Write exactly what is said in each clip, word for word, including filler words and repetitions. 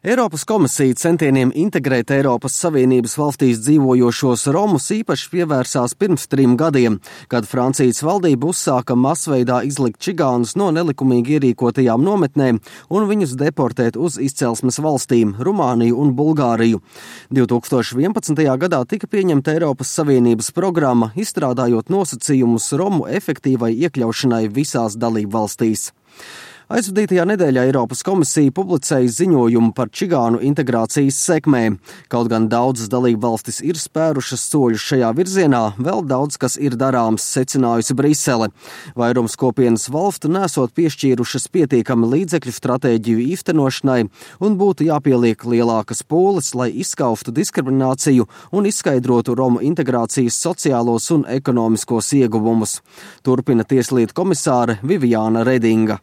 Eiropas komisija centieniem integrēt Eiropas Savienības valstīs dzīvojošos romus īpaši pievērsās pirms trim gadiem, kad Francijas valdība uzsāka masveidā izlikt čigānus no nelikumīgi ierīkotajām nometnēm un viņus deportēt uz izcelsmes valstīm – Rumāniju un Bulgāriju. divi tūkstoši vienpadsmitajā gadā tika pieņemta Eiropas Savienības programma, izstrādājot nosacījumus romu efektīvai iekļaušanai visās dalību valstīs. Aizvadītajā nedēļā Eiropas komisija publicēja ziņojumu par čigānu integrācijas sekmēm. Kaut gan daudzas dalību valstis ir spērušas soļus šajā virzienā, vēl daudz kas ir darāms, secinājusi Brisele. Vairums kopienas valstu nesot piešķīrušas pietiekami līdzekļu stratēģiju īstenošanai un būtu jāpieliek lielākas pūles, lai izskauftu diskrimināciju un izskaidrotu romu integrācijas sociālos un ekonomiskos ieguvumus. Turpina tieslietu komisāre Viviāna Redinga.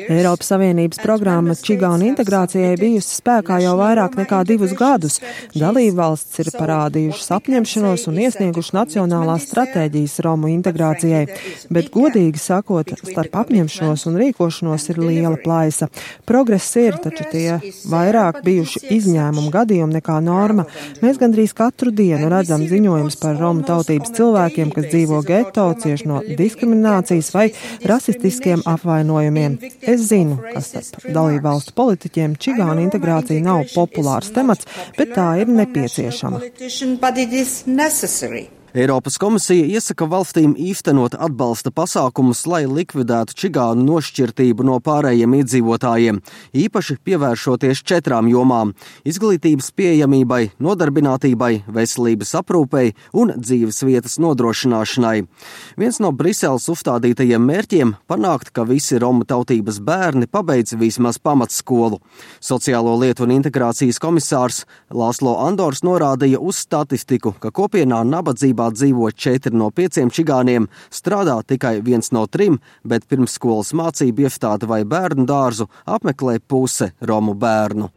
Eiropas Savienības programma čigānu integrācijai bijusi spēkā jau vairāk nekā divus gadus. Dalībvalstis ir parādījušas apņemšanos un iesnieguši nacionālās stratēģijas romu integrācijai, bet godīgi sakot, starp apņemšanos un rīkošanos ir liela plaisa. Progress ir, taču tie vairāk bijuši izņēmumu gadījumi nekā norma. Mēs gandrīz katru dienu redzam ziņojumus par romu tautības cilvēkiem, kas dzīvo geto, cieši no diskriminācijas vai rasistiskiem apvainojumiem. Es zinu, ka starp dalību valstu politiķiem čigānu integrācija nav populārs temats, bet tā ir nepieciešama. Eiropas komisija iesaka valstīm īstenot atbalsta pasākumus, lai likvidētu čigānu nošķirtību no pārējiem iedzīvotājiem, īpaši pievēršoties četrām jomām – izglītības pieejamībai, nodarbinātībai, veselības aprūpei un dzīves vietas nodrošināšanai. Viens no Briseles uzstādītajiem mērķiem – panākt, ka visi romu tautības bērni pabeidz vismaz pamatskolu. Sociālo lietu un integrācijas komisārs Lāslo Andors norādīja uz statistiku, ka kopienā nabadzība dzīvo četri no pieciem čigāniem, strādā tikai viens no trim, bet pirmsskolas mācību iestādi vai bērnu dārzu apmeklē puse romu bērnu.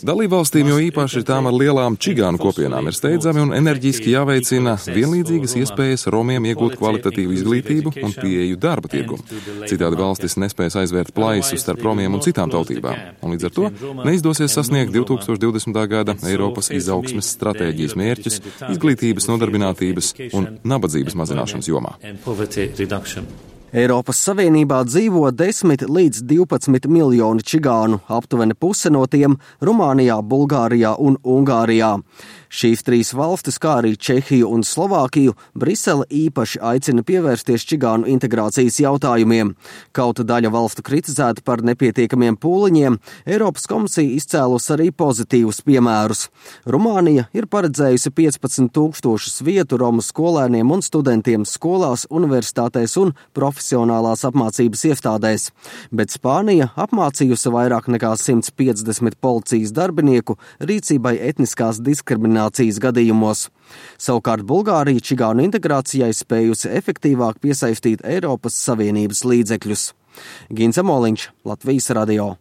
Dalībvalstīm, jo īpaši tām ar lielām čigānu kopienām, ir steidzami un enerģiski jāveicina vienlīdzīgas iespējas romiem iegūt kvalitatīvu izglītību un pieeju darba tirgumu. Citādi valstis nespēs aizvērt plaisu starp romiem un citām tautībām, un līdz ar to neizdosies sasniegt divi tūkstoši divdesmitā gada Eiropas izaugsmes stratēģijas mērķus izglītības, nodarbinātības un nabadzības mazināšanas jomā. Eiropas Savienībā dzīvo desmit līdz divpadsmit miljoni čigānu, aptuveni puse no tiem Rumānijā, Bulgārijā un Ungārijā. Šīs trīs valstis, kā arī Čehiju un Slovākiju, Brisele īpaši aicina pievērsties čigānu integrācijas jautājumiem. Kaut daļa valstu kritizēta par nepietiekamiem pūliņiem, Eiropas komisija izcēlus arī pozitīvus piemērus. Rumānija ir paredzējusi piecpadsmit tūkstošus vietu romu skolēniem un studentiem skolās, universitātēs un profesionālās apmācības iestādēs, bet Spānija apmācījusi vairāk nekā simt piecdesmit policijas darbinieku rīcībai etniskās diskriminācijas gadījumos. Savukārt Bulgārija čigānu integrācijai spējusi efektīvāk piesaistīt Eiropas Savienības līdzekļus. Ginza Moliņš, Latvijas radio.